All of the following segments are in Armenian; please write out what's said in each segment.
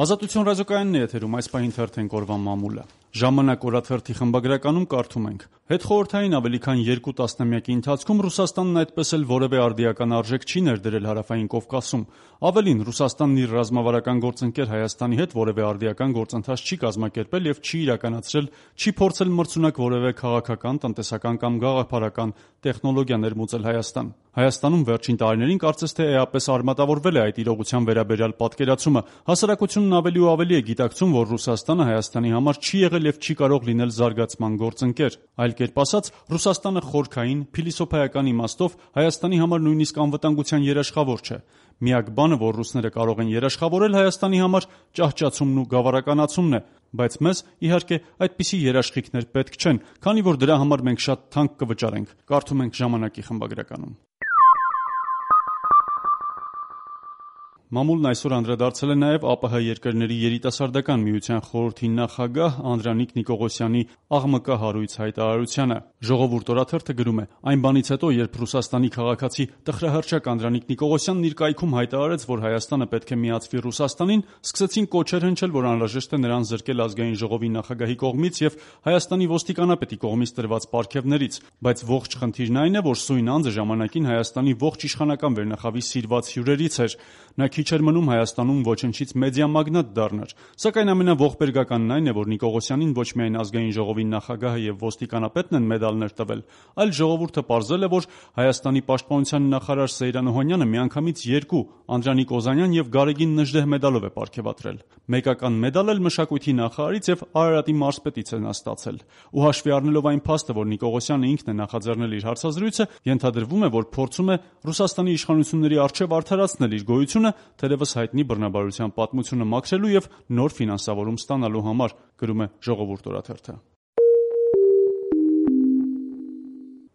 Ազատություն ռադիոկայանն է եթերում, այս պահին թերթենք օրվա մամուլը։ Ժամանակ օրաթերթի խմբագրականում կարդում ենք. Հետխորհրդային ավելի քան 2 տասնամյակի ընթացքում Ռուսաստանն այդպես էլ որևէ արդիական արժեք չի ներդրել Հարավային Կովկասում։ Ավելին, Ռուսաստանն իր ռազմավարական գործընկեր Հայաստանի հետ որևէ արդիական գործընթաց չի կազմակերպել եւ չի իրականացրել, չի փորձել մրցունակ որևէ քաղաքական, տնտեսական կամ գաղափարական տեխնոլոգիա ներմուծել Հայաստան։ Հայաստանում վերջին տարիներին կարծես թե էապես արմատավորվել է այդ իրողության վերաբերյալ պատկերացումը։ Հասարակությունն ավելի ու ավելի է գիտակցում, որ Ռուսաստանը Հայաստանի համար չի եղել եւ չի կարող լինել զարգացման գործընկեր։ Այլ կերպ ասած, Ռուսաստանը խորքային, փիլիսոփայական իմաստով Հայաստանի համար նույնիսկ անվտանգության երաշխավոր չէ։ Միակ բանը, որ ռուսները կարող են երաշխավորել Հայաստանի համար, ճահճացումն ու գավառականացումն է, բայց մեզ, իհարկե, այդպիսի երաշխիքներ պետք չեն, քանի որ դրա համար մենք շատ թանկ կվճարենք։ Կարդում ենք ժամանակի խմբագրականում։ Մամուլն այսօր անդրադարձել է նաև ԱՊՀ երկրների երիտասարդական միության խորհրդի նախագահ Անդրանիկ Նիկողոսյանի աղմկա հարույց հայտարարությանը։ Ժողովուրդ օրաթերթը գրում է. այն բանից հետո, երբ Ռուսաստանի քաղաքացի տխրահռչակ Անդրանիկ Նիկողոսյանն իր կայքում հայտարարեց, որ Հայաստանը պետք է միացվի Ռուսաստանին, սկսեցին կոչեր հնչել, որ անհրաժեշտ է նրան զրկել ազգային ժողովի նախագահի կողմից եւ Հայաստանի ոստիկանապետի կողմից տրված պարգևներից, բայց ողջ խնդիրն այն է, որ սույն անձը ժամանակին Հայաստանի ողջ իշխանական վերնախավի սիրված հյուրերից էր։ Նա քիչ էր մնում Հայաստանում ոչնչից մեդիա մագնատ դառնար, սակայն ամենաողբերգականն այն է, որ Նիկողոսյանին ոչ միայն ազգային ժողովի նախագահը եւ ոստիկանապետն են մեդալներ տվել, այլ ժողովուրդը պարզել է, որ Հայաստանի պաշտպանության նախարար Սեյրան Օհանյանը միանգամից 2 Անդրանիկ Օզանյան եւ Գարեգին Նժդեհ մեդալով է պարգևատրել։ Մեկական մեդալ էլ մշակույթի նախարարից եւ Արարատի մարզպետից է նա ստացել։ Ու հաշվի առնելով այն փաստը, որ Նիկողոսյանը ինքն է նախաձեռնել իր հարցազրույցը, ենթադրվում է, որ փորձում է Ռուսաստանի իշխանությունների առջեւ արդարացնել իր գոյությունը, թերևս հայտնի բռնաբարության պատմությունը մաքրելու եւ նոր ֆինանսավորում ստանալու համար, գրում է Ժողովուրդ օրաթերթը։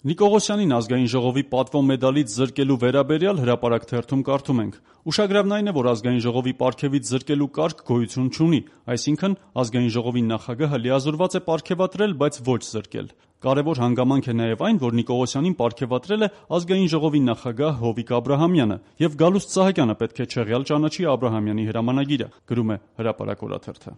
Նիկողոսյանին ազգային ժողովի պատվո մեդալից զրկելու վերաբերյալ հրապարակ թերթում կարդում ենք. ուշագրավն այն է, որ ազգային ժողովի պարգևից զրկելու կարգ գոյություն չունի, այսինքն ազգային ժողովի նախագահը լիազորված է պարգևատրել, բայց ոչ զրկել։ Կարևոր հանգամանք է նաև այն, որ Նիկողոսյանին պարգևատրել է ազգային ժողովի նախագահ Հովիկ Աբրահամյանը, եւ Գալուստ Սահակյանը պետք է չեղյալ ճանաչի Աբրահամյանի հրամանագիրը, գրում է Հրապարակ օրաթերթը։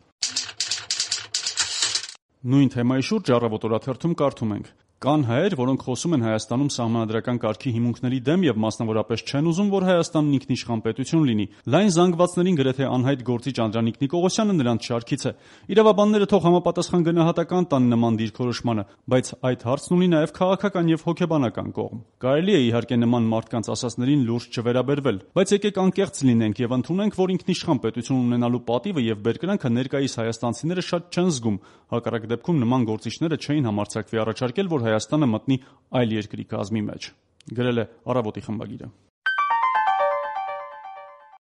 Նույն թեմայի շուրջ Առավոտ օրաթերթում կարդում ենք. կան հայեր, որոնք խոսում են Հայաստանում սահմանադրական կարգի հիմունքների դեմ եւ մասնավորապես չեն ուզում, որ Հայաստանն ինքնիշխան պետություն լինի։ Լայն զանգվածներին գրեթե անհայտ գործիչ Անդրանիկ Նիկողոսյանը նրանց շարքից է։ Իրավաբանները թող համապատասխան գնահատական տան նման դիրքորոշմանը, բայց այդ հարցն ունի նաեւ քաղաքական եւ հոգեբանական կողմ։ Կարելի է իհարկե նման մարդկանց ասածներին լուրջ չվերաբերվել, բայց եկեք անկեղծ լինենք եւ ընդունենք, որ ինքնիշխան պետություն ունենալու պատիվը եւ բերկրանքը ներկայիս հայաստանցիները շատ չեն զգում։ Հակառակ դեպքում նման գործիչները չէին համարձակվի առաջարկել, որ Հայաստանը մտնի այլ երկրի կազմի մեջ, գրել է Առավոտի խմբագիրը։